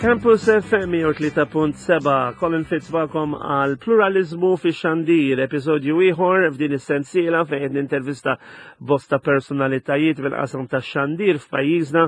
Campus FM 103.7, Colin Fitz magħkom għal pluralizmu fi xandir, episodju ieħor f'din is-sensiela fejn qed nintervista bosta personalitajiet fil-qasam tax-xandir f'pajjiżna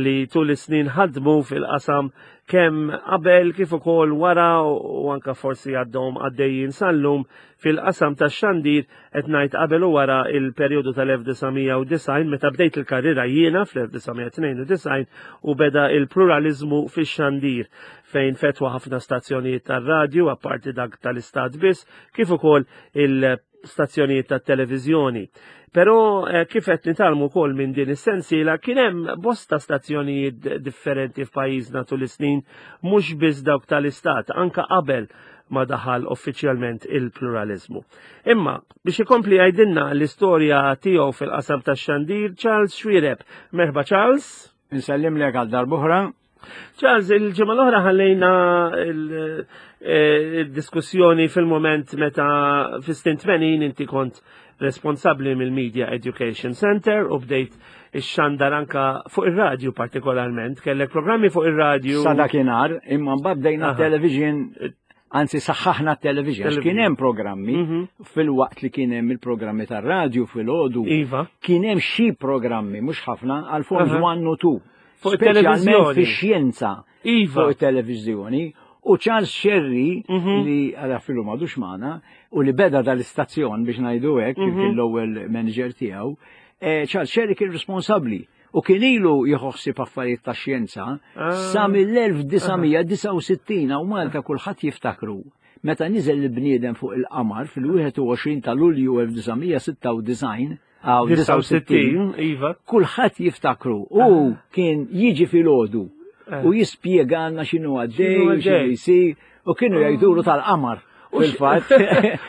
li tul is-snin ħadmu fil-qasam kemm qabel kif ukoll wara u anka forsi għaddhom għaddejjin sal-lum fil-qasam tax-xandir qed ngħid qabel u wara il-perjodu tal-1990 meta bdejt il-karriera jiena fl-1992 u beda il-pluralizmu fix-xandir fejn fetwa ħafna stazzjonijiet tar-radju apparti dak tal-istat biss kif ukoll il stazzjonijiet tat-televiżjoni. Però eh, kif qed nitalmu wkoll minn din is-sensiela kien hemm bosta stazzjonijiet differenti f'pajjiżna tul is-snin mhux biss dawk tal-istat, anka qabel ma daħal uffiċjalment il-pluralizmu. Imma biex ikompli jgħidilna l-istorja tiegħu fil-qasam tax-xandir Charles Xuereb. Merħba Charles. Insellimlek għal darb'oħra. Charles, il-ġimgħa l-oħra ħallejna eh, il-diskussjoni fil-moment meta fis-snin 80 inti kont responsabbli mill-Media Education Center u bdejt ix-xandar anka fuq ir-radju partikolarment, kellek programmi fuq ir-radju. Sa dakinhar, imma mbagħad bdejna television anzi saħħaħna t-television, kien hemm programmi mhm. fil-waqt li kien hemm il-programmi tar-radju fil-ħodu. Iva. Kien hemm xi programmi mhux ħafna għal Forms 1 u 2. Fuq it-televiżjoni. Fix-xjenza. Iva. Fuq it-televiżjoni. U Charles Sherry, mhm. li għala filu madux magħna, u li beda dal-istazzjon biex ngħidu hekk, mm -hmm. l-ewwel manager tiegħu, eh, Charles Sherry kien responsabbli u kien ilu jħossib affarijiet ta' xjenza ah. sa mill-1969 u Malta kulħadd jiftakru meta niżel il-bniedem fuq il-qamar fil-21 ta' Lulju 1996 Għaw 69, iva. Kulħadd jiftakru u ah. kien jiġi filgħodu eh. u jispjega għandna x'inhu għaddej, x'inhu jsir u kienu ah. jgħidulu tal-qamar. Fil-fatt.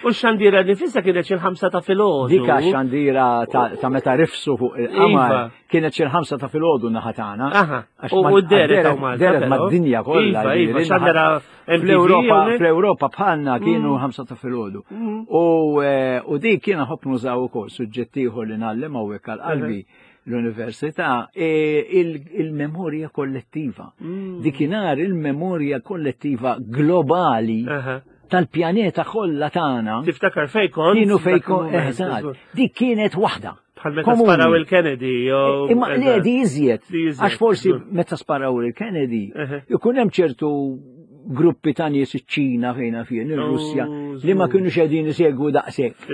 U xandira nifissa kienet xi ħamsa ta' filgħodu. Dika xandira ta' meta rifsu fuq il-qamar iva. kienet xi ħamsa ta' filgħodu naħa tagħna. U deret deret mad-dinja kollha. Iva, iva, xandira Fl-Ewropa, fl-Ewropa bħalna kienu mm. ħamsa ta' filgħodu. Mm. U eh, u dik kiena ħobb nużaw ukoll suġġett ieħor li ngħallem hawnhekk għal qalbi l-università e, il-memorja kollettiva. Mm. Dikinhar il-memorja kollettiva globali tal-pjaneta kollha tagħna. Tiftakar fejn kont? Kienu fejn kont, eżatt. Dik kienet waħda. Bħal meta sparaw il-Kennedy. Imma le di iżjed. Għax forsi meta sparaw il-Kennedy, ikun hemm ċertu gruppi ta' nies iċ-Ċina fejna fien, ir-Russja, oh, li ma kienu xedin isegwu daqshekk.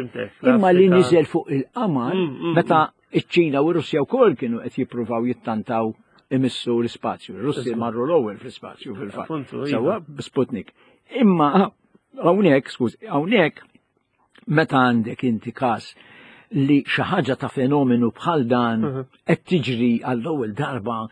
Imma li niżel fuq il-qamar, mm, mm, meta mm. iċ-Ċina u r-Russja wkoll kienu qed jippruvaw jittantaw imissu l-ispazju. Ir-Russi marru l-ewwel fl-ispazju fil-fatt. Iva. Sewwa Sputnik. Imma hawnhekk, skuż, hawnhekk meta għandek inti każ li xi ħaġa ta' fenomenu bħal dan mhm. qed tiġri għall-ewwel darba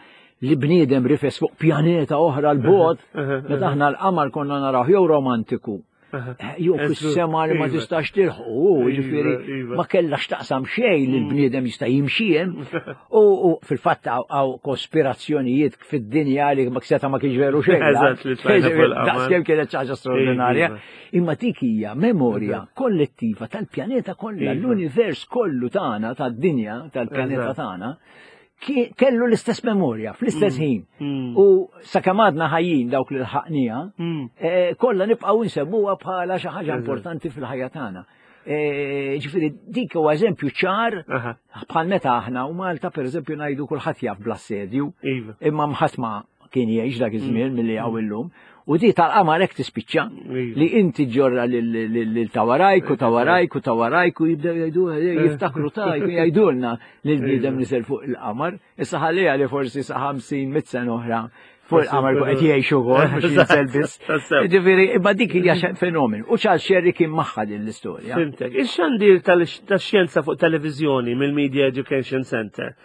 li bniedem rifes fuq pjaneta oħra l-bot, mhm, mhm, meta aħna l-qamar konna naraw jew romantiku. Eh, jew fis-sema li ma iva. tistax tilħu, iva, ġifieri iva. ma kellax taqsam xejn li mm. l-bniedem jista' jimxi hemm. U fil-fatt hawn kospirazzjonijiet fid-dinja li ma seta' ma kienx veru xejn. Daqskemm kienet xi ħaġa straordinarja. Imma dik hija memorja kollettiva tal-pjaneta kollha, iva. l-univers kollu tagħna tad-dinja tal-pjaneta tagħna kellu l-istess memorja fl-istess mm. ħin. Mm. U sakemm għadna ħajjin dawk li lħaqnija, mm. eh, kollha nibqgħu nsemmuha bħala xi ħaġa importanti fil-ħajja tagħna. Eh, ġifieri dik huwa eżempju ċar bħal meta aħna u Malta pereżempju ngħidu kulħadd jaf bl-assedju, iva. imma mħadd ma kien jgħix dak iż-żmien mm. milli hawn illum. U di tal-qamar hekk tispiċċa iva. li inti ġorra lil tawarajk u tawarajk u tawarajk u jibdew jgħidu eh, jiftakru ta' jgħidulna li l-bniedem iva. niżel fuq il-qamar. Issa ħalliha li forsi sa 50 mit sena oħra fuq il-qamar qed jgħixu wkoll mhux jinżel biss. Ġifieri, imma dik hija fenomen. U Charles Sherry kien magħha din l-istorja. Fimtek. Ix-xandir tax-xjenza fuq televiżjoni mill-Media Education Center.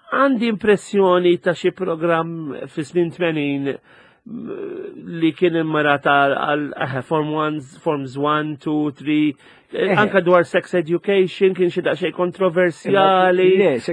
Għandi impressjoni ta' xi programm fi snin 80 li kien immarat għal eh, form 1, forms 1, 2, 3, eh, anka dwar sex education kien xi daqsxejn kontroversjali.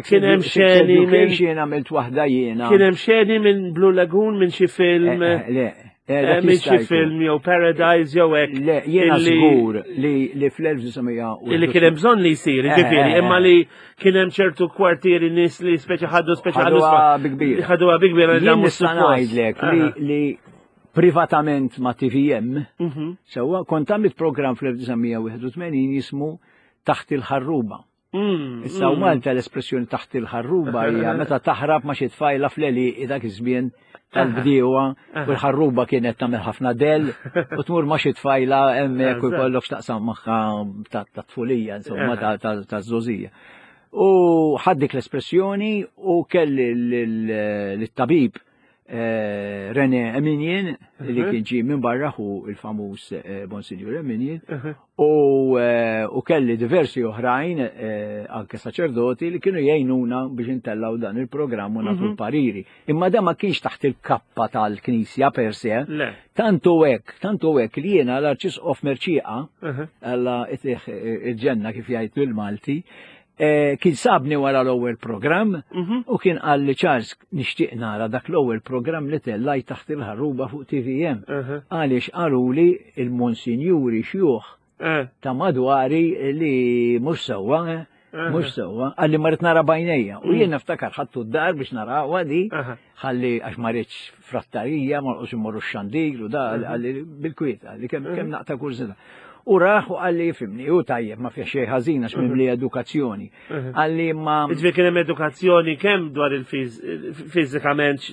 Kien hemm xeni minn għamilt waħda jiena. Kien hemm xeni minn Blue Lagoon minn xi film. Eh, le. Eh, Minn xi film jew Paradise jew hekk. Le, jiena żgur li li fl-1900 Illi kien hemm bżonn li jsir, eh, ġifieri, eh, imma li kien hemm ċertu kwartieri nies li speċi ħaddu speċi ħaddu bi kbir. Ħaduha bi kbir li nista' ngħidlek li privatament ma' TVM, mhm. sewwa kont għamilt programm fl-1981 jismu Taħt il-ħarruba. Issa u Malta l-espressjoni taħt il-ħarruba hija meta taħrab ma' xi tfajla fl-għelieqi dak iż-żmien tal-bdiewa u l-ħarruba kienet tagħmel ħafna del u tmur ma' xi tfajla hemmhekk u jkollok x'taqsam magħha ta' tfulija insomma ta' żgħożija. U ħadd dik l-espressjoni u kelli lit-tabib Eh, René Eminian, li mhm. kien ġie minn barra hu il-famuż eh, Monsignor Eminian, mhm. eh, u kelli diversi oħrajn, anke saċerdoti, li kienu jgħinuna biex intellaw dan il-programm u nagħtu mhm. l-pariri. Imma da ma kienx taħt il-kappa tal-Knisja per se. Tantu hekk, tantu hekk li jiena l-Arċisqof Merċieqa, Alla itih il-ġenna kif jgħid bil-Malti, Eh, kien sabni wara l-ewwel programm mhm. u kien qal li Charles nixtieq nara dak l-ewwel programm li tellaj taħt il-ħarruba fuq TVM. Mhm. Għaliex qaluli il-monsinjuri xjuħ eh. ta' madwari li mhux sewwa, eh, mhux sewwa, qalli ma rrid nara bajnejja. U mm. jien niftakar ħadtu d-dar biex nara di, ħalli għax ma rridx frattarija, ma rqos immorru x-xandir u da, mhm. għalli bil-kwiet, għalli kemm mhm. naqta kurzita. U raħ u għalli jifimni, u tajjeb, ma fih xejn ħażin għax mimli mhm. edukazzjoni. Għalli ma. Ġifieri kien hemm edukazzjoni kemm dwar il-fiżikament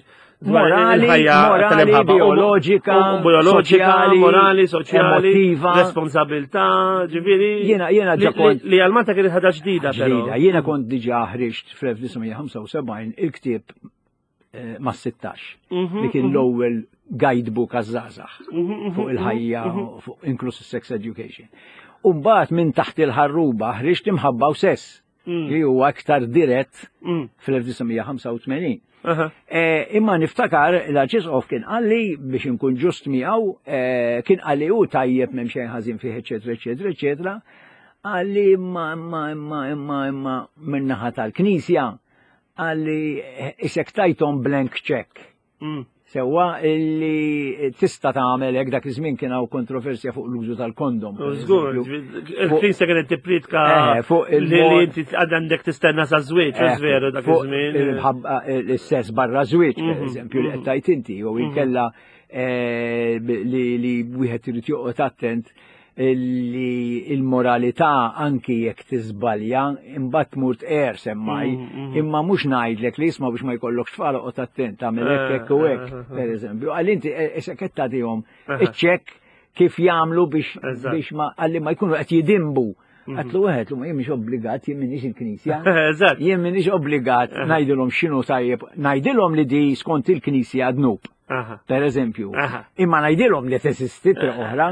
morali, morali, biologika, biologika, morali, soċjali, emotiva, responsabilità, ġifieri. Jiena jiena ġa kont li għal Malta kienet ħaġa ġdida però. Jiena kont diġà ħriġt fl-1975 il-ktieb eh, ma' 16 mhm, li kien mhm. l-ewwel guidebook għaż-żgħażagħ mhm, fuq il-ħajja fuq inkluż sex education. U mbagħad minn taħt il-ħarruba ħriġt imħabba u sess mm. li huwa aktar dirett mm. fl-1985. Eh, imma niftakar l-Arċisqof kien qalli biex inkun ġust miegħu eh, kien qalli hu tajjeb m'hemm xejn ħażin fih eċetera eċetera eċetera. Qalli imma imma imma imma imma min-naħa tal-Knisja Qalli isek tajthom blank check. Mm. Sewwa li tista' tagħmel hekk dak iż-żmien kien hawn kontroversja fuq l-użu tal-kondom. Żgur, il-Knisja kienet tippritka eh, fuq li inti għandek tistenna sa żwieġ, eh, veru dak iż-żmien. Il-sess barra żwieġ, per mhm, eżempju, li qed mhm. tajt inti, jew mhm. inkella eh, li wieħed irid joqgħod attent li il-moralità anki jekk tiżbalja imbagħad tmur tqer semmaj, mm, mm. imma mhux ngħidlek li jisma' biex ma jkollokx tfal oqgħod attent tagħmel hekk hekk u hekk, eh, eh, eh. pereżempju. Għal inti issa qed tagħtihom iċ-ċekk kif jagħmlu biex biex ma għalli ma jkunu qed jidimbu. Mm. Għatlu għed, ma jien mhix obbligat, jien minix il-knisja. Jien minix obbligat ngħidilhom x'inhu tajjeb, ngħidilhom li di skont il-knisja dnub. Per eżempju. Imma ngħidilhom li teżisti triq oħra.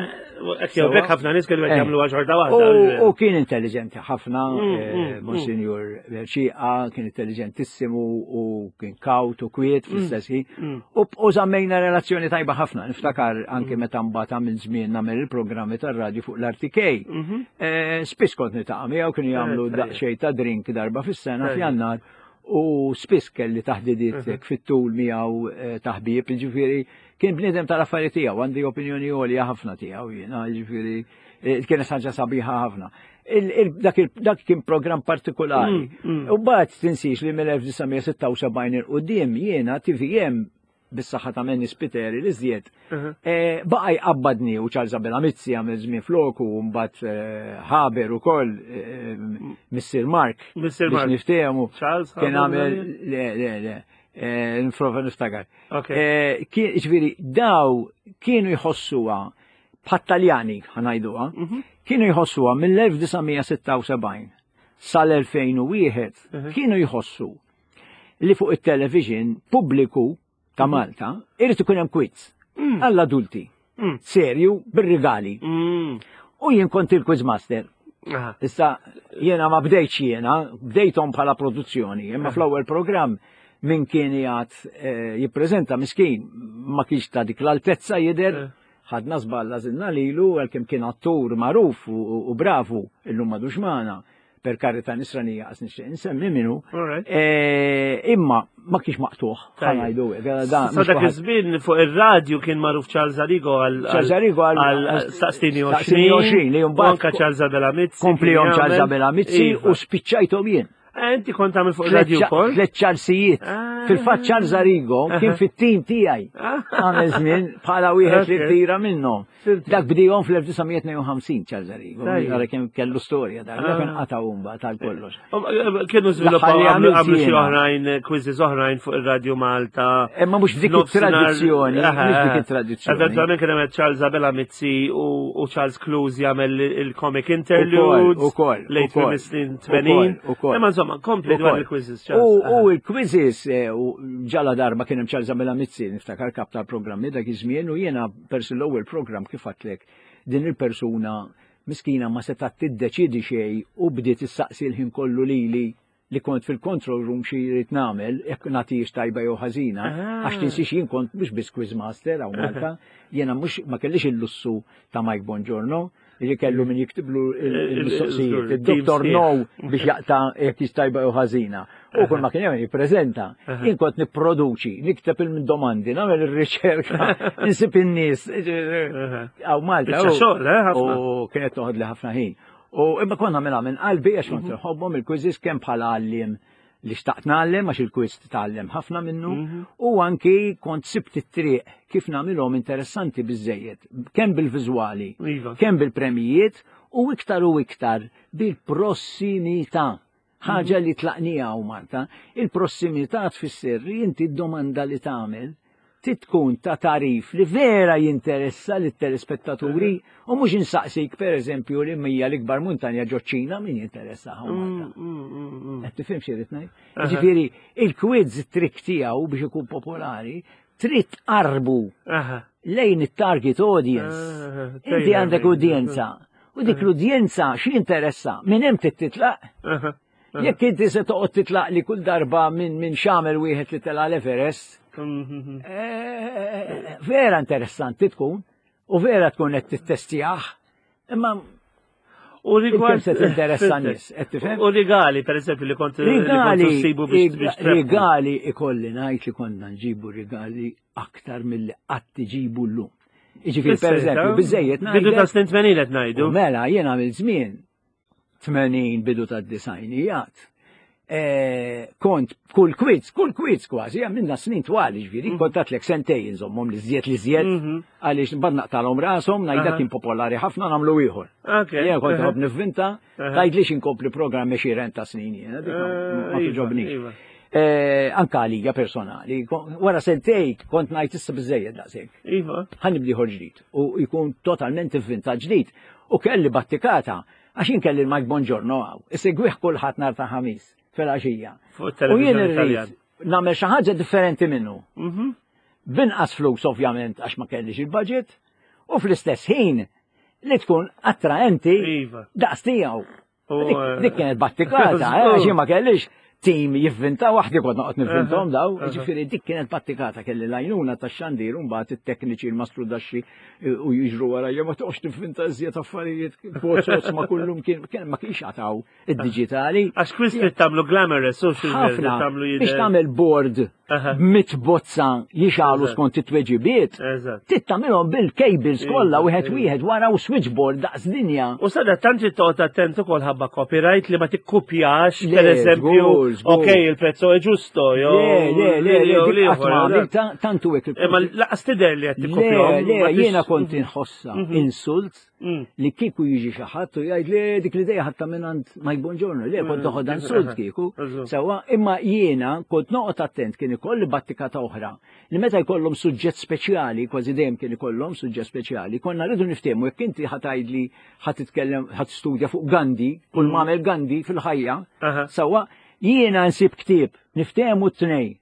Jew bekk ħafna nies kienu qed eh. jagħmlu xorta waħda. U kien intelligenti ħafna, mm, eh, mm, mm. Monsignor Ċieqa kien intelligentissimu u kien kawt u kwiet fl-istess ħin. U żammejna relazzjoni tajba ħafna. Niftakar anke meta mbagħad għamil żmien nagħmel il-programmi tar-radju fuq l-RTK. Mm-hmm. Eh, spiss kont nitaqa' miegħu kienu jagħmlu daqsxejn ta' drink darba fis-sena f'Jannar. U spiss kelli taħdidiet mhm. fit-tul miegħu eh, taħbib, jiġifieri kien bniedem tal-affarijiet tiegħu, għandi opinjoni għolja ħafna tiegħu jiena, jiġifieri eh, kienet ħaġa sabiħa ħafna. Dak kien programm partikolari. Mm, mm. U mbagħad tinsiex li mill-1976 il-qudiem jiena TVM bis-saħħa ta' Manny Spiteri li żjed, mhm. eh, baqa' jqabbadni u Charles Abela Mizzi għamel żmien floku u mbagħad eh, Haber ukoll eh, Missir Mark. Missir Mark. Niftehmu. Charles Kien għamel le le le. Nifrova niftakar. Ġifieri daw kienu jħossuha bħat-Taljani ħanajduha, mhm. kienu jħossuha mill-1976 sal-2001 mhm. kienu jħossu li fuq it-television pubbliku ta' mhm. Malta irid ikun hemm quiz mm. għall-adulti. Mm. Serju bir-rigali. Mm. U jien kont il-quiz master. Issa jiena ma bdejtx jiena, bdejthom bħala produzzjoni, imma fl-ewwel programm min kien jgħat eh, jippreżenta miskin ma kienx ta' dik l-altezza jidher eh. ħadna żball għażilna lilu għalkemm kien attur magħruf u bravu illum madux magħna. per karita nisranija għas nixtieq insemmi minnu. Eh, imma ma kienx maqtuħ, ħanajdu. Sa dak iż-żmien fuq ir-radju kien magħruf Charles Arrigo għal Charles Arrigo għal staqstini 20 li mbagħad anka Charles Abela Mizzi. Komplihom Charles Abela Mizzi iva. u spiċċajthom jien. Eh, inti kont tagħmel fuq ir-radju wkoll? Tliet Charlesijiet. Ah. Fil-fatt Charles Arrigo kien fit-tim tiegħi. Ah. Għamel żmien bħala wieħed li tira minnhom. Dak bdihom fl-1952 Charles Arrigo. Għara kemm kellu storja dak, dak kien ah. qata' umba tal-kollox. Um, eh, kienu żviluppaw għamlu xi oħrajn eh, quizzes oħrajn fuq ir-Radju Malta. Imma mhux dik it-tradizzjoni, mhux dik it-tradizzjoni. Eventualment kien hemm Charles Abela Mizzi u Charles Clues jagħmel il-comic interludes. Ukoll. Late snin 80. Imma insomma, kompli dwar il-quizzes. U il-quizzes eh, ġala darba kien hemm Charles Abela Mizzi niftakar kap tal-programmi dak iż-żmien u jiena Persi l-ewwel programm kif għedtlek din il-persuna miskina ma setgħet tiddeċiedi xejn u bdiet issaqsi l-ħin kollu lili li kont fil-control room xi jrid nagħmel jekk nagħtihiex tajba jew ħażina, ah. għax tinsiex jien kont mhux biss quizmaster hawn Malta, jiena mhux ma kellix il-lussu ta' Mike Bongiorno, li kellu min jiktiblu il-mistoqsijiet, il-Dr. No biex jaqta jekk jistajba jew ħażina. U kull ma kien jagħmel jippreżenta. Jien kont nipproduċi, nikteb il-domandi, nagħmel ir-riċerka, insib in-nies. Għaw Malta. Xogħol, eh, U kienet toħod li ħafna ħin. U imma konna nagħmilha minn qalbi għax kont mhm. nħobbhom il-quizzes kemm bħala għalliem li xtaqt ngħallem għax il-quiz titgħallem ħafna minnu mhm. u anki kont sibt it-triq kif nagħmilhom interessanti biżejjed, kemm bil-viżwali, iva. kemm bil-premijiet u iktar u iktar bil-prossimità. Ħaġa mhm. li tlaqnija u Malta, il-prossimità tfisser li inti d-domanda li tagħmel trid tkun ta' tagħrif li vera jinteressa lit-telespettaturi u mhux insaqsik pereżempju li mija l-ikbar muntanja ġoċ-Ċina min jinteressa hawn Malta. Mm, mm, mm, Qed tifhem xi rid ngħid? Ġifieri il-quiz trik tiegħu biex ikun popolari trid tqarbu lejn it-target audience. Inti għandek udjenza. U dik l-udjenza xi interessa minn hemm trid titlaq. Jekk inti se toqgħod titlaq li kull darba minn min xamel wieħed li tela l-Everest, mhm. eh, vera interessanti tkun u vera tkun qed tittestjah, imma U rigward se tinteressa nies, qed tifhem? U rigali, per eżempju, li kont rigali biex rigali ikolli ngħid li konna nġibu rigali aktar milli qatt iġibu llum. Jiġifieri per eżempju, biżejjed ngħidu. Bidu ta' snin 80 qed ngħidu. Mela, jien għamil żmien 80 bidu tad-disajnijat. E, kont kull kwiz, kull kwiz kważi, għamilna snin twal, ġviri, mhm. kont għatlek sentej nżommhom li żjed li żjed, mhm. għaliex mbagħad naqtalhom rashom, ngħidha kien popolari ħafna nagħmlu ieħor. Jien kont nħobb nivvinta, tgħidlix inkompli programm għexieren ta' snin jiena, dik ma eh, iva, tiġobnix. Iva. Eh, anka għalija personali, wara sentej kont ngħid issa biżejjed daqshekk. Iva. Ħa nibdi ieħor ġdid u jkun totalment ivvinta ġdid. U kelli battikata Għax jien kelli l-Mike Bongiorno hawn, isegwih kulħadd nhar ta' ħamis filgħaxija. U jien irrid nagħmel xi ħaġa differenti minnu. Mhm. Binqas flus ovvjament għax ma kellix il-budget u fl-istess ħin li tkun attraenti iva. daqs tiegħu. Eh, dik kienet battikata, eh, għax ma kellix tim jivvinta waħdi kont noqgħod nivvintahom daw, ġifieri dik kienet battikata kelli l-għajnuna tax-xandir u mbagħad it-tekniċi l-mastru daxxi eh, u jiġru wara ma toqgħodx tivvinta iżjed affarijiet bozos ma kullum kien ma kienx għataw id-diġitali. Għax kwist li tagħmlu glamorous u xi tagħmlu biex tagħmel board mit bozza jixalu skont it-tweġibiet, trid tagħmilhom bil-cables kollha wieħed wieħed wara u switchboard daqs dinja. U sada tant trid toqgħod attent ukoll ħabba copyright li ma tikkupjax pereżempju, ok il-prezzo è ġusto jew Le, le, le, le, tantu hekk. Imma laqas tidher li qed tikkupjahom. Le, le, jiena kont inħossha mhm. insult mm. li kieku jiġi xi ħadd u jgħid li dik l-idea ħatta minn għand Mike Bongiorno, li kont mm. toħodha insult kieku. Sewwa, imma jiena kont noqgħod attent kien ikolli battikata oħra li meta jkollhom suġġett speċjali, kważi dejjem kien ikollhom suġġett speċjali, konna rridu niftehmu jekk inti ħatajdli ħa titkellem ħa tistudja fuq Gandhi, kull mm. m'għamel Gandhi fil-ħajja, sewwa, jiena nsib ktieb, niftehmu t-tnej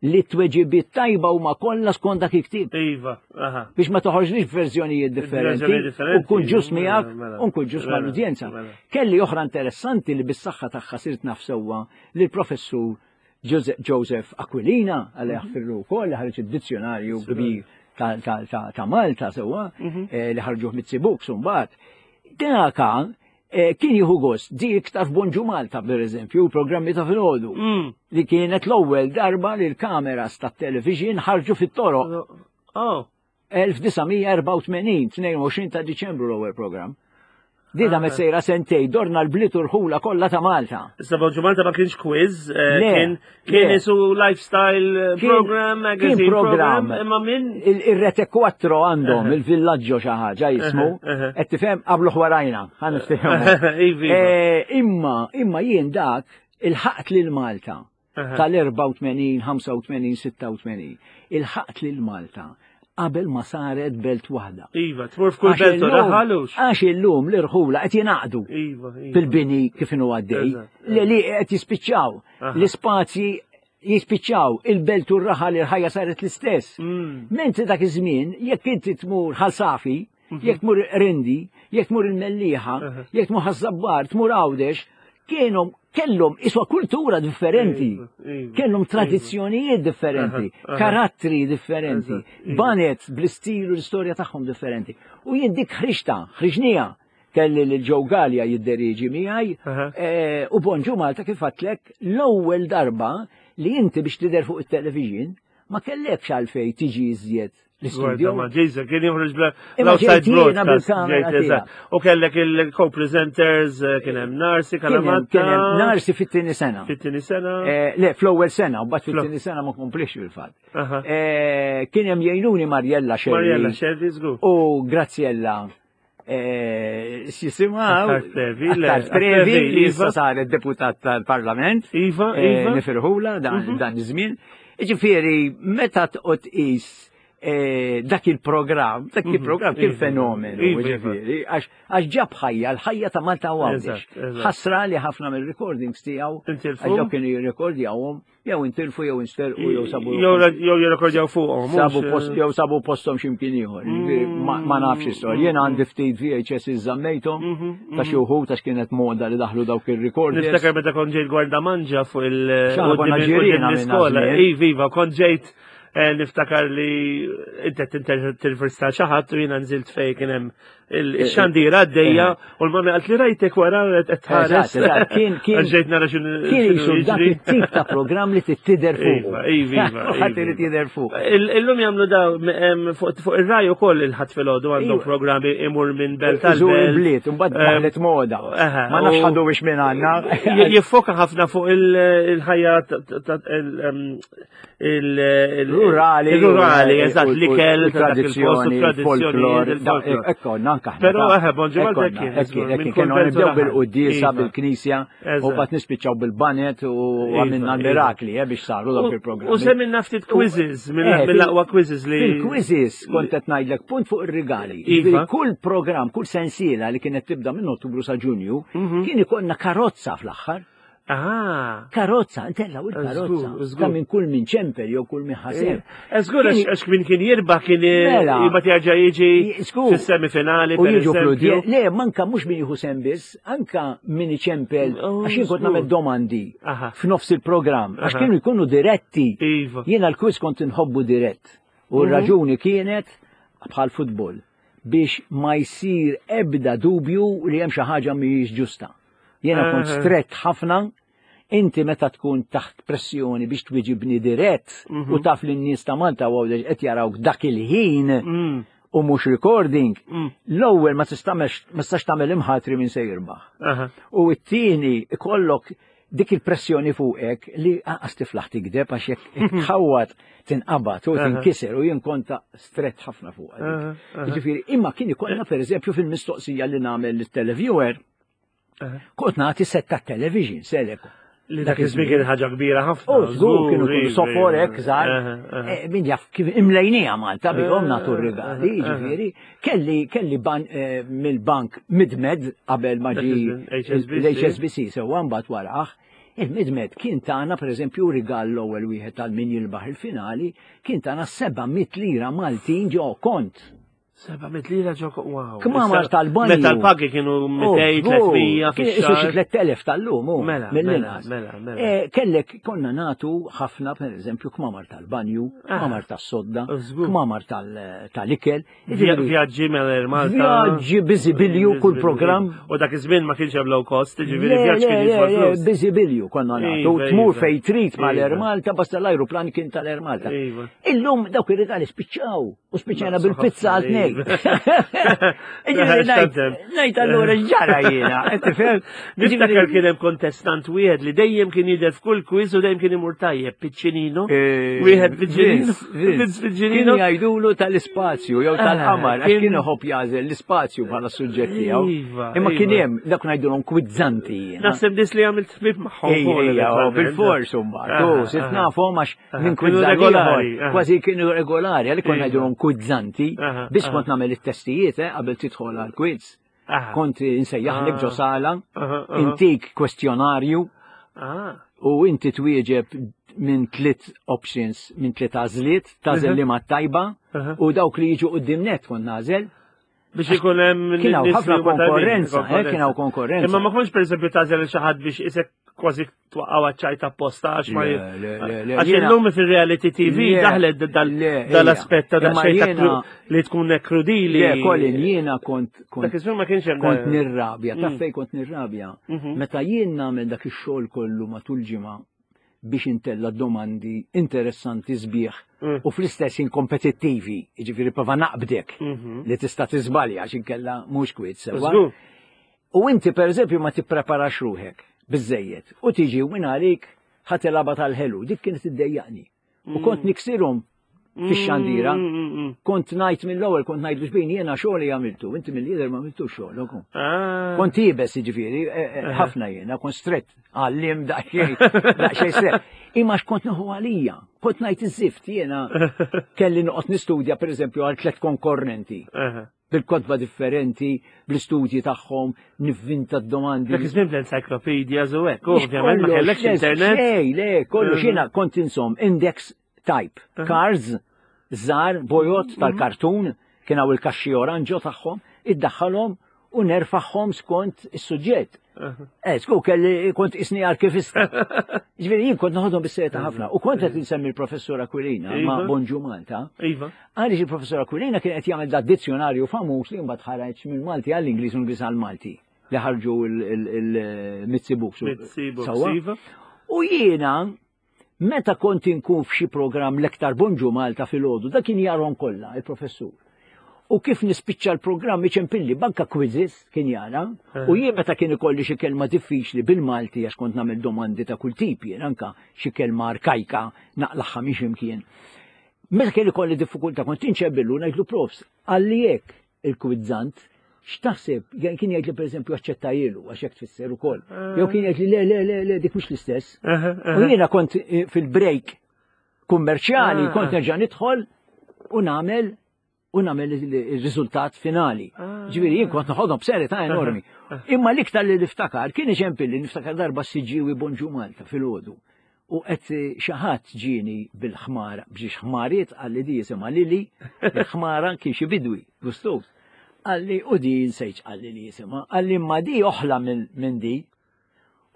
li t-tweġibiet tajba huma kollha skont dak il-ktieb. Iva, aha. Biex ma toħroġlix b'verżjonijiet differenti. U nkun ġust miegħek mela, u nkun ġust mela, mal-udjenza. Mela. Kelli oħra interessanti li bis-saħħa tagħha sirt naf sewwa li l-professur Joseph Aquilina, għal mhm. jaħfirlu wkoll li ħareġ id-dizzjonarju kbir ta' Malta sewwa mhm. eh, li ħarġuh mit-Books mbagħad. Daka Eh, kien jieħu gost, di iktar f'Bonġu Malta, per eżempju, programmi ta' filgħodu, li kienet l-ewwel darba li l-kameras tat-television ħarġu fit-toroq. Oh. 1984, 22 ta' Diċembru l-ewwel programm. Di da sejra sentej, dorna l-bliet u rħula kollha ta' Malta. Issa Bonġu Malta ma kienx quiz, eh, kien kien isu lifestyle eh, program, magazine program, imma minn. Il-Rete 4 għandhom, il-villaggio xi ħaġa jismu, qed tifhem qablu ħwarajna, ħa niftehmu. Iva. Eh, imma, imma jien dak il-ħaqt lil Malta tal-84, 85, 86. Il-ħaqt lil Malta qabel ma saret belt waħda. Iva, tmur f'kull belt u raħalux. Għax illum l-irħula qed jingħaqdu iva, iva. fil-bini kif inhu għaddej. Li li qed jispiċċaw. L-ispazji jispiċċaw il-belt u r-raħal il-ħajja saret l-istess. Mentri dak iż-żmien, jekk inti tmur Ħal Safi, jekk tmur Rindi, jekk tmur il-Mellieħa, jekk tmur Ħaż-Żabbar, tmur Għawdex, kienu kellhom iswa kultura differenti, iva, iva, kellhom iva. tradizzjonijiet differenti, karattri differenti, banet bl-istil u l-istorja tagħhom differenti. U jien dik ħriġta, ħriġnija, kelli lil Joe Galea jidderiġi miegħi, eh, u Bonġu Malta kif għedtlek l-ewwel darba li inti biex tidher fuq it-television ma kellekx għalfejn tiġi iżjed l-istudio. Ma ġejza, kien joħroġ bl-outside broadcast. U kellek il-co-presenters, eh, kien hemm Narsi, Kalamatta. Kien hemm Narsi fit-tieni sena. Fit-tieni sena. Eh, le, fl-ewwel sena, u bat fit-tieni sena ma komplix fil-fatt. Eh, kien hemm jgħinuni Mariella Scerri. Mariella Scerri, żgur. U Graziella X'jisimha? Attard Previ. Attard Previ li issa saret deputat tal-Parlament. Iva, iva. Nifirħula dan iż-żmien. Ġifieri, meta tqgħod tqis dak il-programm, dak il-programm kien fenomenu, Iva, iva. ġifieri, għax ġab ħajja, l-ħajja ta' Malta u Għawdex. Eżatt, eżatt. Ħasra li ħafna mill-recordings tiegħu, Intilfu? għax dawk kienu jirrekordjawhom, jew intilfu jew insterqu jew sabu Jew jirrekordjaw fuqhom. Sabu post jew sabu posthom x'imkien ieħor. Ma nafx istorja. Jien għandi ftit VHS iżammejthom ta' xi wħud għax kienet moda li daħlu dawk ir-recorders. Niftakar meta kont ġejt Gwardamanġa fuq il Xaħna konna ġirien għamilna l-iskola. żmien. Iva, iva, kont ġejt eh, niftakar li inti qed tintervista xi ħadd u jiena nżilt fejn kien hemm il-xandira għaddejja u l-mami qalt li rajtek wara qed tħares. Eżatt, eżatt, kien kien Ġejt nara x'inhu kien jisu dak it-tip ta' programm li tittider fuq. Iva, iva, iva. Ħadd irid jidher fuq. Illum jagħmlu daw fuq ir-raj ukoll il-ħadd filgħodu għandhom Iva. programmi imur minn belt għal Żur belt. il-bliet, imbagħad daħlet moda. Ma nafx ħadu biex minn għandna. Jiffoka ħafna fuq il-ħajja Rurali. Il-rurali, eżatt, l-ikel, tradizzjoni, il-folklor. il-folklor. Ekko, nanka. Però, eħe, Bonġu Malta kien, żgur, minn kull Kienu belt u nibdew raħal. bil-quddiesa, Iva. bil-knisja, u Eżatt. bat nispiċċaw bil-banet u Iva, għamilna iva. l-mirakli, eh, biex saru dawk il-programmi. U semminna ftit quizzes, Eh, mill-aqwa quizzes li. Fil-quizzes kont qed ngħidlek punt fuq ir-rigali. Iva. Jiġifieri Kull programm, kull sensiela li kienet tibda minn Ottubru sa Ġunju, kien ikollna karozza fl-aħħar. Ah. Karozza, intellaw il-karozza. Żgur, żgur. Ta' minn kull minn ċempel jew kull minn ħaseb. Żgur, għax min kien jirbaħ kien Mela. jibgħat jerġa' jiġi Żgur. fis-semifinali. U per jiġu eżempju. fludi. Le, manka mhux min jieħu sem biss, anka min iċempel, Oh, għax jien kont żgur. nagħmel domandi Aha. f'nofs il-programm, għax Aha. kienu jkunu diretti. Iva. Jiena l-quiz kont inħobbu dirett. U r-raġuni kienet bħal futbol biex ma jsir ebda dubju li hemm xi ħaġa mhijiex ġusta. Jiena kont Aha. strett ħafna, inti meta tkun taħt pressjoni biex twiġibni dirett u taf li n-nies ta' Malta u Għawdex qed jarawk dak il-ħin u mhux recording, l-ewwel ma tistax ma tistax tagħmel imħatri minn se jirbaħ. Aha. U t-tieni ikollok dik il-pressjoni fuqek li għas tiflaħ tikdeb għax jekk tħawwad tinqabad u tinkiser u jien konta strett ħafna fuq. Aha, aha. Jiġifieri, imma kien ikollna pereżempju fil-mistoqsija li nagħmel lit-televiewer, kont nagħti set ta' television, selek. Li dak iż-żmien kien ħaġa kbira ħafna. U żgur kienu iva, kienu sofor iva. hekk żgħar. Aha, aha. Eh, Min jaf kif imlejnija Malta bihom nagħtu r-rigali, aha. jiġifieri. Kelli kelli ban eh, mill-bank Midmed qabel ma Dak ġi iż-żmien, HSBC. l-HSBC sewwa mbagħad waraħ. Il-Midmed kien tagħna pereżempju rigal l-ewwel wieħed tal min jilbaħ il-finali, kien tagħna 700 lira Maltin ġo kont. 700 lira ġo wow. Kmamar tal-banju. Meta l-pagi kienu 200, 300 fix-xahar. Xi 3000 tal-lum, mela, mela, mela, mela. Eh, kellek konna natu ħafna, per eżempju, kmamar tal-banju, ah. kmamar tas-sodda, kmamar tal-ikel. Vjaġġi mela Malta. Vjaġġi biżibilju kull programm. U dak iż-żmien ma kienx hemm low cost, ġifieri vjaġġ kien jiswa flus. Biżibilju konna nagħtu, iva, tmur iva. fejn trid mal-Air iva. Malta, basta l-ajruplan kien tal-Air Malta. Illum dawk ir-rigali spiċċaw. U spiċċajna bil-pizza għal tnej. Najt allura ġara jiena, tifhem? Niftakar kien hemm kontestant wieħed li dejjem kien jidher f'kull quiz u dejjem kien imur tajjeb, Piccinino. Eh, Wieħed Piccinino. Piccinino. Kien jgħidulu tal-ispazju jew tal-qamar, għax kien iħobb jagħżel l-ispazju bħala suġġett tiegħu. Iva, Imma kien iva. hemm dak ngħidulhom kwizzanti. Naħseb nies li għamilt ħbieb magħhom. Bil-fors imbagħad. U sirt nafhom għax minn Kienu regolari. Kważi kienu regolari, għalli kont ngħidulhom kwizzanti, biex kont nagħmel it-testijiet eh, qabel tidħol għal quiz. Kont insejjaħlek ġo sala, intik kwestjonarju ah. u inti twieġeb minn tliet options, minn tliet għażliet, tażel li ma tajba u dawk li jiġu qudiem net kont nażel. Biex ikun hemm Kien hawn ħafna konkurrenza, eh, kien hawn konkurrenza. Imma ma kontx pereżempju tażel xi ħadd biex isek kważi twaqqaw ċajta apposta għax ma Għax illum fil-reality TV daħlet dal-aspett ta' daqsxejn li tkun krudili. Le, Colin, jiena kont kont ma kienx hemm kont nirrabja, taf mm. fejn kont nirrabja. Mhm. Meta jien nagħmel dak ix-xogħol kollu matul ġimgħa biex intella domandi interessanti sbieħ mm. u fl-istess kompetittivi, jiġifieri prova naqbdek mhm. li tista' tiżbalja għax inkella mhux kwiet sewwa. U inti pereżempju ma tippreparax ruħek biżejjed u tiġi u minn għalik ħatilaba tal-ħelu, dik kienet iddejjaqni. U mm. kont niksirhom fix-xandira. Mm, mm, mm, kont ngħid mill-ewwel kont ngħid biex bejn jiena xogħol li għamiltu, inti mill-lider ma għamiltu xogħol ukoll. Ah. Kont iebes jiġifieri, eh, eh, eh. ħafna jiena, kont strett għallim daqsxejn, daqsxejn strett. Imma x'kont nieħu għalija, kont ngħid iż-żift jiena kelli noqgħod nistudja pereżempju għal tliet konkorrenti bil-kotba differenti, bl-istudji tagħhom, nivvinta d-domandi. Dak iż-żmien bl-encyclopedia u hekk, ovvjament ma kellekx internet. Le, le, kollox jiena kont insom index type, cars, żgħar, bojot mhm. tal-kartun, kien hawn il-kaxxi oranġo tagħhom, iddaħħalhom u nerfaħħom skont is-suġġett. Eh, sku kelli kont isni arkivista. Ġifieri jien kont noħodhom bis-serjetà ħafna. U kont qed insemmi l-professur Aquilina ma' iva. Bonġu Malta. Iva. Għaliex il-professur Aquilina kien qed jagħmel da dizzjonarju famuż li mbagħad ħareġ minn Malti għall-Ingliż u Ingliż għall-Malti li ħarġu il-Mizzi Books. Mizzi Books. Iva. U jiena Meta kont inkun f'xi programm l-iktar Bonġu Malta filgħodu, dak kien jarhom kollha, il-professur. U kif nispiċċa l-programm iċempilli banka quizzes kien jara, eh. u jien meta kien ikolli xi kelma diffiċli bil-Malti għax kont nagħmel domandi ta' kull tip jien anka xi kelma arkajka naqlaħħa minn x'imkien. Meta kien ikolli diffikultà kont inċebillu ngħidlu profs, għalli hekk il-kwizzant, x'taħseb? Kien jgħid li pereżempju aċċettajilu għax hekk tfisser ukoll. Eh. Jew kien jgħid li le le le le dik mhux l-istess. Eh, eh, u jiena kont fil-break kummerċjali ah. kont nerġa' nidħol u nagħmel u nagħmel il-riżultat finali. Ah. Ġifieri jien kont noħodhom b'serjetà enormi. Imma l-iktar li niftakar kien iċempilli niftakar darba s-Siġġiewi Bonġu Malta fil-għodu. U qed xi ħadd ġieni bil-ħmara, b'xi ħmariet qalli di jisimha Lili, il-ħmara kien xi bidwi, gustuż. Qalli u di nsejtx qalli li jisimha, qalli imma di oħla minn di.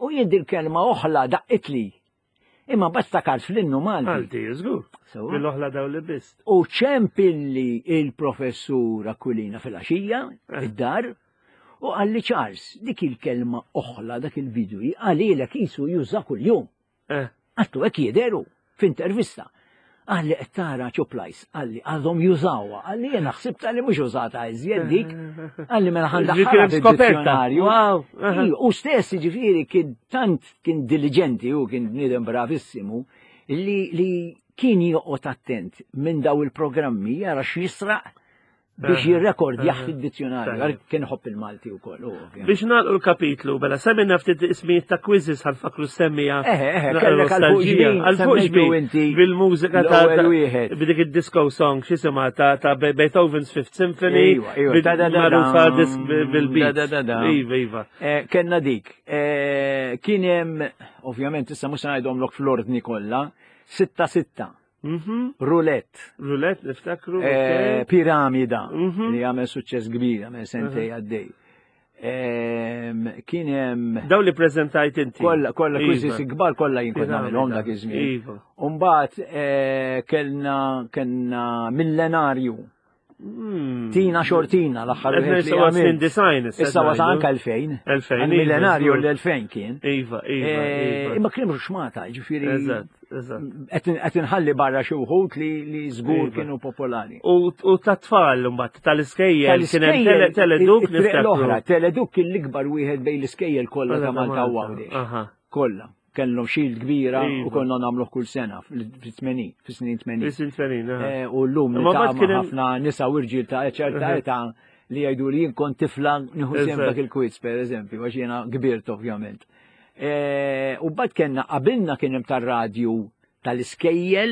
U jien dil-kelma oħla daqqitli. Imma mbagħad ftakart fl-innu Malti. Malti, żgur. Bil-oħla daw li biss. U ċempilli il-professur Aquilina fil-għaxija, eh. id-dar, U qalli Charles, dik il-kelma oħla dak il-bidwi qalilek qisu juża kuljum. Eh. Għattu hekk jidheru f'intervista. Qalli qed tara ċuplajs, qalli għadhom jużawha, qalli jiena ħsibta li mhux użata iżjed dik, qalli mela ħa ndaħħalha fid-dizzjonarju. U stess jiġifieri kien tant kien diliġenti u kien bniedem bravissimu li li kien joqgħod attent minn daw il-programmi jara x'jisraq biex jirrekordjah fid-dizzjonarju, kien ħobb il-Malti wkoll. Biex nagħlqu l-kapitlu, bela semmina ftit ismijiet ta' quizzes ħanfakru semmija. Eħe, eħe, kellek għal fuq inti. Bil-mużika ta' b'dik id-disco song, x'isimha ta' Beethoven's Fifth Symphony. Iva, iva, magħrufa disk bil-beat. Iva, iva. Eh, kellna dik. Eh, kien hemm, ovvjament issa mhux se ngħidhomlok fl-ordni kollha, sitta sitta. Roulette. Roulette, niftakru. Eh, Piramida, li għamel suċċess kbir, għamel sentej għaddej. Kien hemm. Daw li preżentajt inti. Kollha, kollha iva. quizzes kbar kollha jien kont nagħmilhom dak iż-żmien. Iva. Umbagħad eh, kellna kellna millenarju. Tina xortina l-aħħar wieħed li għamil. Design issa wasal anke 2000. 2000. Iva, Millenarju l-2000 kien. Iva, iva, eh, iva. Imma kien mhux xmata, ġifieri. Eżatt, eżatt. Qed inħalli barra xi wħud li żgur iva. kienu popolari. U tat-tfal mbagħad tal-iskejjel kien hemm teleduk l-oħra, teleduk kien l-ikbar wieħed bejn l-iskejjel kollha ta' Malta u Għawdex. Kollha kellhom shield kbira u iva. konna nagħmluh kull sena fis-80, fis-snin 80. Fis-snin 80, eh, U llum niltaqa' ħafna nisa u rġiel ta' ċerta età li jgħidu li jien kont tifla nieħu sehem dak il-quiz pereżempju, għax jiena kbirt ovvjament. Eh, u bad kellna qabilna kien hemm tar-radju tal-iskejjel,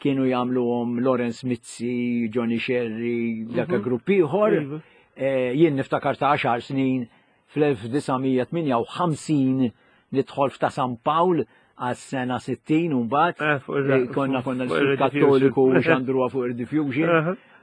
kienu jagħmluhom Lawrence Mizzi, Johnny Sherry, dak grupp ieħor. Iva. Eh, jien niftakar ta' 10 snin fl-1958 nidħol f'ta' San Pawl għas-sena 60 u mbagħad eh, eh, konna konna l Kattoliku u xandruha fuq il-diffusion.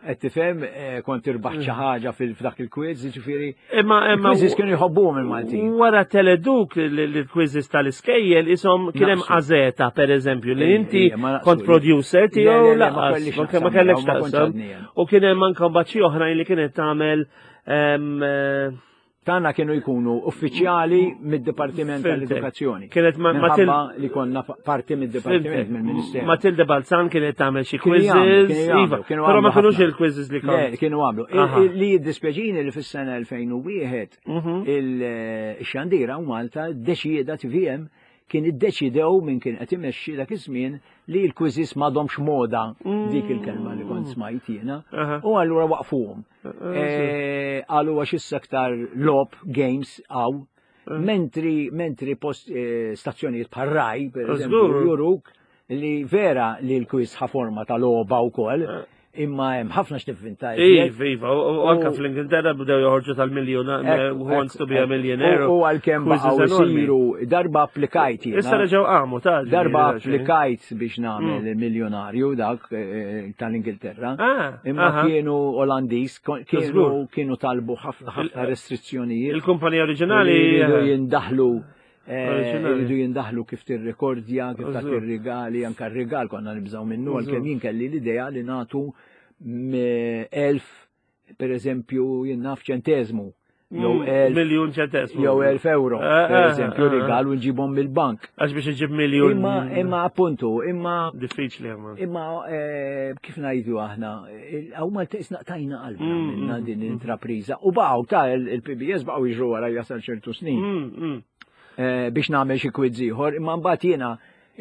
Qed tifhem eh, kont irbaħ xi ħaġa fil-dak il-quiz, jiġifieri. Imma imma quizzes kienu jħobbuhom il-Maltin. Wara teleduk l-quizzes tal-iskejjel isom kien hemm Azeta pereżempju li inti kont producer tiegħu laqas ma kellekx taqsam. U kien hemm anke mbagħad xi oħrajn li kienet tagħmel Tagħna kienu jkunu uffiċjali mid-Dipartiment tal-Edukazzjoni. Kienet Matilda li konna parti mid-Dipartiment mill-Ministeru. Matilda Balzan kienet tagħmel xi quizzes, iva, però ma kinux il-quizzes li kienu. Kienu għamlu. Li jiddispjaċini li fis-sena 2001 il-xandira u Malta ddeċieda TVM kien iddeċidew minn kien qed imexxi dak iż-żmien li l-quizzes m'għadhomx moda dik il-kelma li kont smajt jiena. U allura waqfuhom. Eh, qalu għax issa aktar lob games għaw. Mentri mentri post eh, stazzjonijiet bħal Rai, per eżempju, juruk li vera li l-quiz ħa forma ta' logħba wkoll, imma hemm ħafna x'tivvinta. Iva, iva, u anka fl-Ingilterra bdew joħorġu tal-miljun, eh, who wants to be a millionaire. U għalkemm baqgħu isiru darba applikajt jiena. Issa reġgħu qamu ta' Darba applikajt biex nagħmel mm. miljonarju dak eh, tal-Ingilterra. Ah, imma kienu Olandiż, kienu kienu talbu ħafna ħafna restrizzjonijiet. Il-kumpanija oriġinali jindaħlu Eh, iridu jindaħlu kif tirrekordja, kif tagħti rigali, anka r-rigal konna nibżgħu minnu għalkemm jien kelli l-idea li nagħtu elf per eżempju jien naf ċenteżmu. Jew mm, elf miljun ċentesmu. Jew elf euro, eh, per eh, eżempju, eh, rigal u nġibhom mill-bank. Għax biex iġib miljun. Imma, imma appuntu, imma. Diffiċli imma. Imma kif ngħidu aħna, għaw Malta isna tajna qalbna mm, minna mm, din l-intrapriża. U baqgħu ta' il-PBS baqgħu jiġru wara jasal ċertu snin. Biex nagħmel xi quiz ieħor, imma mbagħad jiena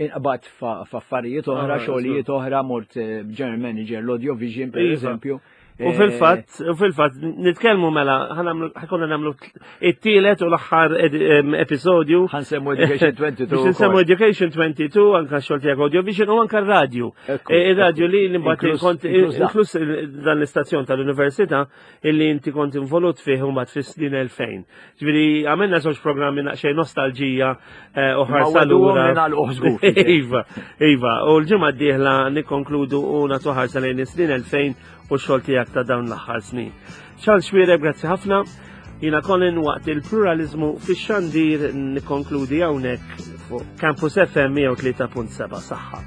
inqbad f'affarijiet oħra, ah, xogħlijiet oħra, mort eh, general manager l-audio vision per iva. eżempju. U eh, fil-fatt, u fil-fatt, nitkellmu mela, ħakonna namlu it-tielet u l-aħħar episodju. Ħansemmu Education 22. Biex nsemmu Education 22, anka xogħol tiegħek audio vision u anka radio. Eh, ir-radio li mbagħad kont inkluż dan l-istazzjon tal-università illi inti kont involut fih u mbagħad fis-snin 2000. Ġifieri għamilna żewġ programmi naqxejn nostalġija eh, u ħarsa lura. Iva, iva, u l-ġimgħa d-dieħla nikkonkludu u nagħtu ħarsa lejn is-snin 2000 u x-xogħol tiegħek ta' dawn l-aħħar snin. Charles Xuereb, grazzi ħafna. Jina Colin waqt il-pluralizmu fix-xandir nikkonkludi hawnhekk fuq Campus FM 103.7 saħħa.